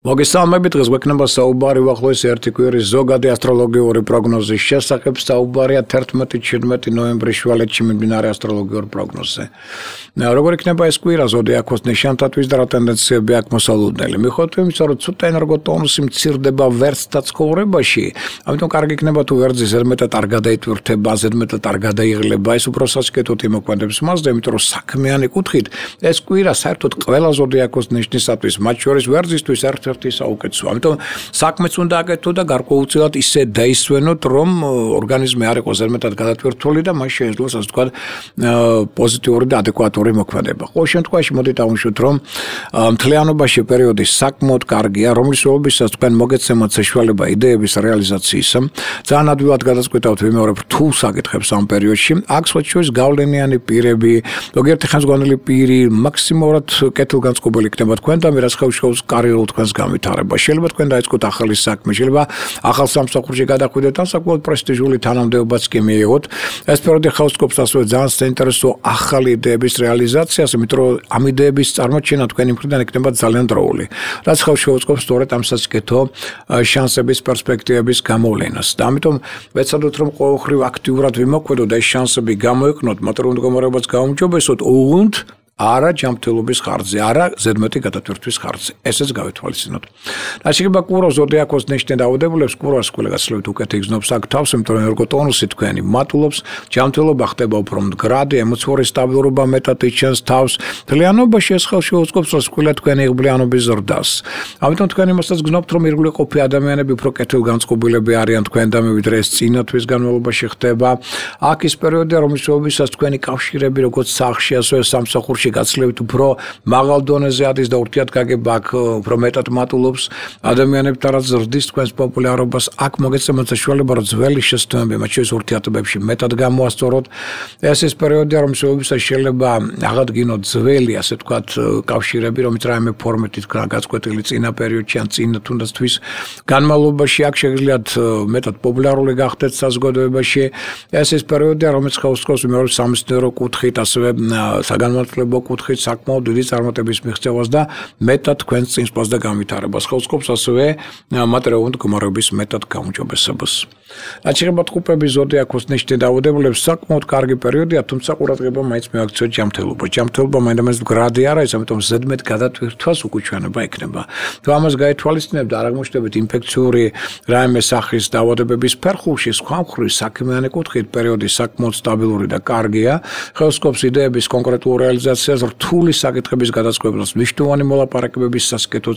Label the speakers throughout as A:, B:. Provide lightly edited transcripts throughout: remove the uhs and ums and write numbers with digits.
A: მოგესალმებით, დღეს გვექნება საუბარი უახლოესი ერთი კვირის ზოგადი ასტროლოგიური პროგნოზის შესახებ. საუბარია 11-17 ნოემბრის შუალედში მიმდინარე ასტროლოგიურ პროგნოზზე. როგორ იქნება ეს კვირა ზოდიაქოს ნიშანთათვის და რა ტენდენციები აქვს მოსალოდნელი? მიუხედავად იმისა, რომ ცუდ ენერგოტონუსი მცირდება ვერცხთა ცხოვრებაში, ამიტომ კარგი იქნება თუ ვერძი ზედმეტად არ გადაიტვირთება, ზედმეტად არ გადაიღლება. ეს უფრო სასკეთოდ იმოქმედებს მასზე, იმიტომ რომ საქმიანი კუთხით ეს კვირა საერთოდ ყველა ზოდიაქოს ნიშნისათვის, მათ შორის ვერძისთვის ერთ-ერთი საუკეთესო. ამიტომ საქმეც უნდა აკეთო და გარკვეულწილად ისე დაისვენოთ, რომ ორგანიზმი არ იყოს ზედმეტად გადატვირთული და მას შეეძლოს, ასე ვთქვათ, პოზიტიური და ადეკვატური მოქმედება. ყოველ შემთხვევაში მოდით ავუშვით, რომ მთლიანობაში პერიოდი საკმაოდ კარგია, რომლის ოლობისას თქვენ მოგეცემათ საშუალება იდეების რეალიზაციისა. ძალიან ადვილად გადაწყვეტავთ ვიმეორებ რთულ საკითხებს ამ პერიოდში. აქ სხვა შორის გავლენიანი პირები, ზოგიერთი ხელმძღვანელი პირი, მაქსიმალურად კეთილგანწყობილი იქნება თქვენ და მერაც ხელშეუს კარიერულ თქვენს განვითარება. შეიძლება თქვენ დაიწყოთ ახალი საქმე, შეიძლება ახალ სამსახურში გადახვიდეთ და საკმაოდ პრესტიჟული თანამდებობაც კი მიიღოთ. ეს პერიოდი ხელს სკობს ასევე ძალიან საინტერესო ახალი იდეების რეალიზაციას, იმიტომ რომ ამ იდეების წარმოჩენა თქვენი მხრიდან იქნება ძალიან დროული. რაც ხელს შეუწყობს სწორედ ამ სასიკეთო შანსების პერსპექტივების გამოვლენას. და ამიტომ ვეცადოთ, რომ ყოველხრივ აქტიურად ვიმოქმედოთ და ეს შანსები გამოიყენოთ, მაგრამ მდგომარეობაც გაუმჯობესოთ, უღუნთ არა ჯანმრთელობის ხარჯზე, არა ზედმეტი გადატვირთვის ხარჯზე. ესეც გავითვალისწინოთ. რაც შეეხება კვირას ზოდიაქოს ნიშნით დაავადებულებს, კვირას გასძლევით უკეთ იგრძნობს აქ თავს, იმიტომ რომ ენერგოტონუსი თქვენი მატულობს, ჯანმრთელობა ხდება უფრო მდგრადი, ემოციური სტაბილურობა მეტად იჩენს თავს. მთლიანობაში ეს ხელს შეუწყობს, რომ კვირა თქვენი იღბლიანობის ზრდას. ამიტომ თქვენ იმასაც გრძნობთ, რომ ირგვლივ ყოფი ადამიანები უფრო კეთილგანწყობილები არიან თქვენთან, ვიდრე ეს წინა თვის განმავლობაში ხდება. აქ ის პერიოდია, რომლის შეუვისაც თქვენი კავშირები, როგორც სახლში, ასევე სამსახურში გაცლევით უფრო მაღალ დონეზე ადის და ურთიერთგაგება აქ უფრო მეტად მატულობს ადამიანებთან, რაც ზრდის თქვენს პოპულარობას. აქ მოგეცემათ საშუალება, რომ ძველი შესტოები, მათ შორის ურთიერთობებში მეტად გამოასწოროთ. ეს ის პერიოდია, რომელშიც შეიძლება აღადგინოთ ძველი, ასე ვთქვათ, კავშირები, რომელიც რაიმე ფორმით გაწყვეტილი წინა პერიოდში ან წინა თუნდაც თვის განმავლობაში აქ შეგიძლიათ მეტად პოპულარული გახდეთ საზოგადოებაში. ეს ის პერიოდია, რომელიც ხელს სკობს მეორე სამეცნიერო კუთხით, ასევე საგანმანათლებლო კუთხით საკმაოდ დიდი წარმატების მიღწევას და მეტად თქვენს წინსვლას და განვითარებას. ხელს სკობს ასევე მატერიალური მდგომარეობის მეტად გაუმჯობესებას. რაც შეეხება ტყუპების ზოდიაქოს ნიშნით დაავადებულებს, საკმაოდ კარგი პერიოდია, თუმცა ყურადღება მაინც მიაქციოთ ჯანმრთელობა. ჯანმრთელობა მაინც მდგრადი არ არის, ამიტომ ზედმეტ გადატვირთვას უკუჩვენება იქნება. თუ ამას გაითვალისწინებთ, არ აღმოჩნდებით ინფექციური რაიმე სახის დაავადებების ფერხულში, სხვა მხრივ საქმიანი კუთხით პერიოდი საკმაოდ სტაბილური და კარგია. ხელს სკობს იდეების კონკრეტულ რეალიზაციას, რთული საკითხების გადაწყვეტას, მნიშვნელოვანი მოლაპარაკებების სასკეთო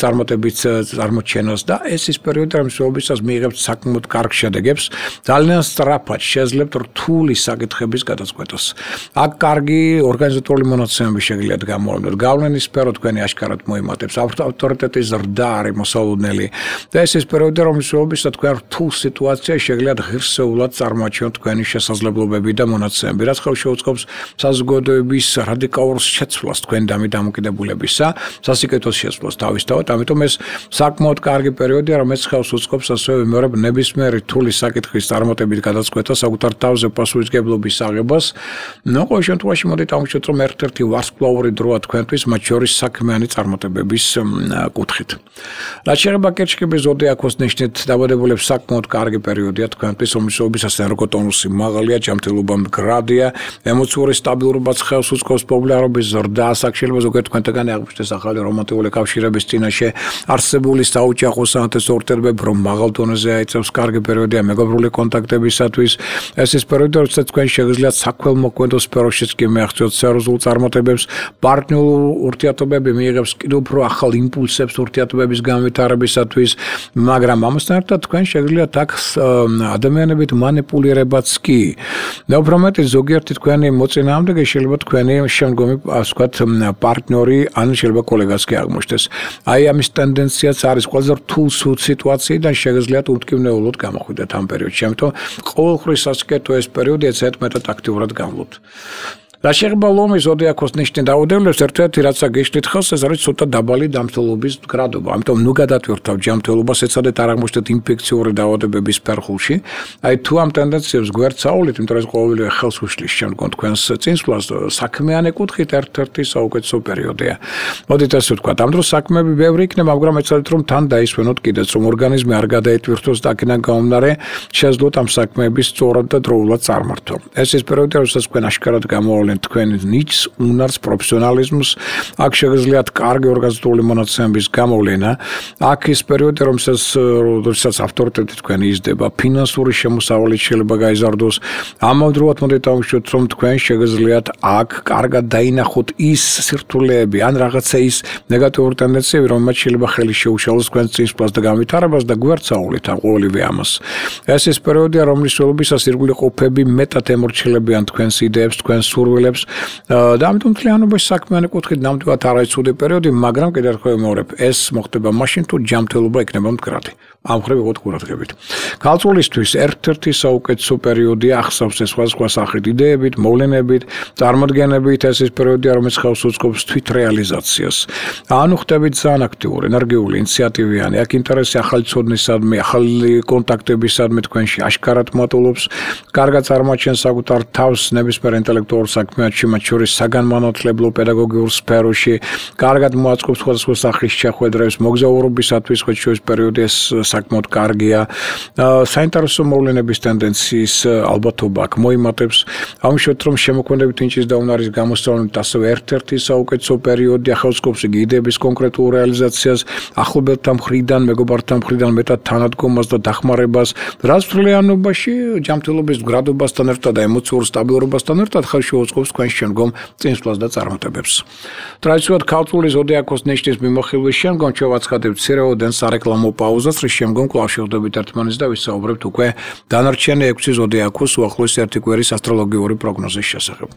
A: წარმატების წარმოჩენას და ეს ის პერიოდი, რომელშიც მიიღებთ საკმაოდ კარგ შედეგებს, ძალიან სწრაფად შეძლებთ რთული საკითხების გადაწყვეტას. აქ კარგი ორგანიზატორული მონაცემები შეგიძლიათ გამოავლინოთ. გავლენის სფერო თქვენი აშკარად მოიმატებს, ავტორიტეტის ზრდა არის მოსალოდნელი და ეს ის პერიოდი, რომელშიც თქვენ რთულ სიტუაციაში შეგიძლიათ ღირსეულად წარმოაჩინოთ თქვენი შესაძლებლობები და მონაცემები, რაც ხელს შეუწყობს საზოგადოების რადიკალურ შეცვლას თქვენ დამოკიდებულებისა, სასიკეთოს შეცვლას თავისთავად. ამიტომ ეს საკმაოდ კარგი პერიოდია, რომელიც ხელს უწყობს ასევე ვიმეორებ ნებისმიერი რთული საკითხის წარმატებით გადაწყვეტას, საკუთარ თავზე პასუხისმგებლობის აღებას. ყოველ შემთხვევაში მოდით ავუშვით, რომ ერთ-ერთი ვარსკვლავური დროა თქვენთვის, მათ შორის საქმიანი წარმატებების კუთხით. რაც შეეხება კერჩხების ზოდიაქოს ნიშნით დაავადებულებს, საკმაოდ კარგი პერიოდია თქვენთვის, რომლისთვისაც ენერგოტონუსი მაღალია, ჯანმრთელობა მდგრადია, ემოციური სტაბილურობაც ხელს უწყობს პოპულარობის ზრდას. აქ შეიძლება ზოგიერთ თქვენთაგანი აღმოჩნდეს ახალი რომანტიკული კავშირების წინაშე არსებული საოჯახო საინტერესო ურთიერთობები, რომ მაღალ დონეზე აიწევს კარგი პერიოდია მეგობრული კონტაქტებისათვის. ეს ის პერიოდი, როდესაც თქვენ შეგიძლიათ საქველმოქმედო სფეროშიც კი მიაღწიოთ სერიოზულ წარმატებებს, პარტნიორულ ურთიერთობები მიიღებს კიდევ უფრო ახალ იმპულსებს ურთიერთობების განვითარებისათვის, მაგრამ ამასთან ერთად თქვენ შეგიძლიათ აქ ადამიანებით манипуლირებაც კი. და უფრო მეტი ზოგიერთი თქვენი მოწინააღმდეგე შეიძლება თქვენი შემდგომი, ასე ვთქვათ, პარტნიორი ან შეიძლება კოლეგაც კი აღმოჩნდეს. აი ამის ტენდენციაც არის ყველაზე რთულ სიტუაციიდან შეგიძლიათ უთქმნეულოდ გამოხვიდეთ ამ პერიოდში. ამიტომ ყოველხრივ სასკეთო ეს პერიოდი ეცეთ მეტად აქტიურად განვლოთ. რა შეეხება ლომის ზოდიაქოს ნიშნის დაუდევლებს, ერთ-ერთი რაც გეშლით ხელს, ეს არის ცოტა დაბალი დამცველობის გრადობა. ამიტომ ნუ გადატვირთავ ჯანმრთელობას, ეცადეთ არ აღმოჩნდეთ ინფექციური დაავადებების ფერხულში. აი თუ ამ ტენდენციებს გვერდსაულით, იმიტომ რომ ყოველივე ხელს უშლის შემდგომ თქვენს წინსვლას, საქმიანი კუთხით ერთ-ერთი საუკეთესო პერიოდია. მოდით ასე ვთქვათ, ამ დროს საქმეები ბევრი იქნება, მაგრამ ეცადეთ რომ თან დაისვენოთ კიდეც, რომ ორგანიზმი არ გადაეტვირთოს და აქედან გამომდინარე შეძლოთ ამ საქმეების სწორად და დროულად წარმართვა. ეს ის პერიოდია, როდესაც თქვენ აშკარად გამოავლენთ თქვენ ნიჭს, უნარს, პროფესიონალიზმს, აქ შეგიძლიათ კარგი ორგანიზებული მონაცემების გამოვლენა. აქ ის პერიოდია, როდესაც ავტორიტეტი თქვენი იზრდება, ფინანსური შემოსავალი შეიძლება გაიზარდოს. ამავდროულად მოდით დავუშვათ, რომ თქვენ შეგიძლიათ აქ კარგად დაინახოთ ის სირთულეები, ან რაღაცა ის ნეგატიური ტენდენციები, რომელმაც შეიძლება ხელი შეუშალოს თქვენს წინსვლას და განვითარებას და გვერდსაულით ამ ყოველივე ამას. ეს ის პერიოდია, რომლის ველობისას ირგვლივ ყოფები მეტად ემორჩილებიან თქვენს იდეებს, თქვენს სურვილებს და ამიტომ მთლიანობაში საქმიანი კუთხით ნამდვილად არ არის ცუდი პერიოდი, მაგრამ კიდევ ერთხელ ვიმეორებ, ეს მოხდება მაშინ თუ ჯანმრთელობა იქნება მდგრადი. ამ ხრივ იყოთ ყურადღებით. ქალწულისთვის ერთ-ერთი საუკეთესო პერიოდია ახსავს ეს სხვადასხვა სახით იდეებით, მოვლენებით, წარმოდგენებით, ეს ის პერიოდია, რომელიც ხავს უწყობს თვითრეალიზაციას. ანუ ხდებით ძალიან აქტიური, ენერგიული, ინიციატივიანი, აქ ინტერესი ახალი ცოდნისადმი, ახალი კონტაქტებისადმი თქვენში აშკარად მატულობს, კარგად წარმოაჩენს საკუთარ თავს ნებისმიერ ინტელექტუალურ საქმეებში, მათ შორის საგანმანათლებლო პედაგოგიურ სფეროში, კარგად მოაწყობს სხვადასხვა სახის შეხვედრებს, მოგზაურობისათვის ხოჩოვის პერიოდი ეს საკმაოდ კარგია. საინტერესო მოვლენების ტენდენციის ალბათობა აქ მოიმატებს. ამშვენად რომ შემოქმედებით ნიჭის და უნარის გამოსწავლებით ასევე ერთ-ერთი საუკეთესო პერიოდია, ხელსკობს იგი იდეების კონკრეტულ რეალიზაციას, ახლობელთა მხრიდან, მეგობართა მხრიდან მეტად თანადგომას და დახმარებას, რაც მთლიანობაში ჯანმრთელობის მდგრადობასთან ერთად და ემოციურ სტაბილურობასთან ერთად ხელში უწყობს თქვენს შემდგომ წინსვლას და წარმატებებს. ტრადიციულად ქალწულის ზოდიაქოს ნიშნის მიმოხილვის შემდგომ შევაცხადებთ მცირეოდენ სარეკლამო პაუზას, რის შემდგომ კვლავ შევხვდებით ერთმანეთს და ვისაუბრებთ უკვე დანარჩენი 6 ზოდიაქოს უახლოესი ერთი კვირის ასტროლოგიური პროგნოზის შესახებ.